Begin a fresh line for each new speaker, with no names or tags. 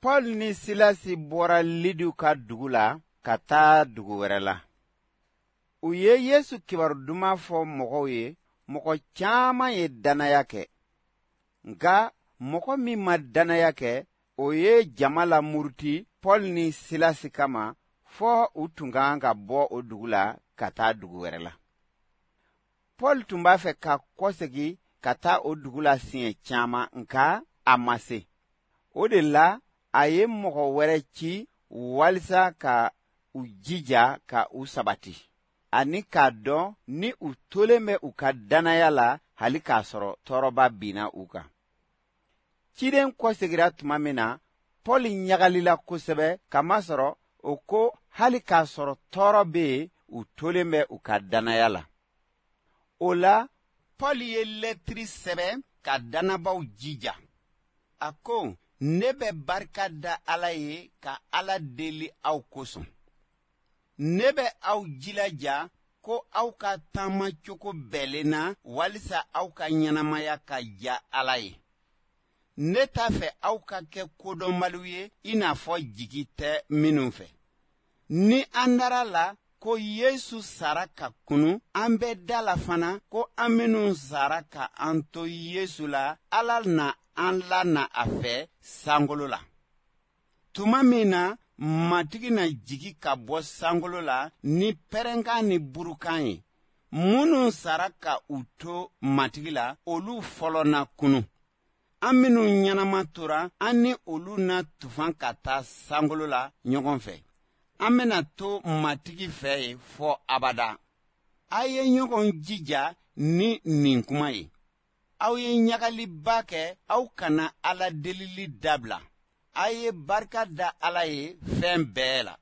Paul ni Silasi bɔra Lidu ka dugu la ka taa dugu wɛrɛ la. U ye Yesu kibaru duman fɔ mɔgɔw ye, mɔgɔ caman ye dannaya kɛ. Nka mɔgɔ min ma dannaya kɛ, o ye jama lamuruti Paul ni Silasi kama fɔ u tun ka kan ka bɔ o dugu la ka taa dugu wɛrɛ la. Paul tun b'a fɛ ka kɔsegin ka taa o dugu la siɲɛ caman nka a ma se. O de la a ye mɔgɔ wɛrɛ ci walisa ka u jija ka u sabati ani k'a dɔn ni u tolen bɛ u ka dannaya la hali k'a sɔrɔ tɔɔrɔba binna u kan. Ciden kɔsegira tuma min na, Paul ɲagalila kosɛbɛ kamasɔrɔ o ko hali k'a sɔrɔ tɔɔrɔ bɛ yen, u tolen bɛ u ka dannaya la. O la, Paul ye lɛtiri sɛbɛn ka dannabaw jija. A ko, ne bɛ barika da Ala ye ka Ala deli aw kosɔn. Ne bɛ aw jilaja ko aw ka taama cogo bɛnnen na walisa aw ka ɲɛnamaya ka diya Ala ye. Ne t'a fɛ aw ka kɛ kodɔnbaliw ye i n'a fɔ jigi tɛ minnu fɛ. Ni an dara la ko Yesu sara ka kunun, an bɛ da la fana ko an minnu sara ka an to Yesu la, Ala na an lana a fɛ sankolo la. Tuma min na Matigi na jigi ka bɔ sankolo la ni pɛrɛnkan ni burukan ye, minnu sara ka u to Matigi la, olu fɔlɔ na kunun. An minnu ɲɛnama tora, an ni olu na tufan ka taa sankolo la ɲɔgɔn fɛ. An bɛna to Matigi fɛ yen fɔ abada. A ye ɲɔgɔn jija ni nin kuma ye. Aw ye ɲagaliba kɛ, aw kana Ala delili dabila. A ye barika da Ala ye fɛn bɛɛ la.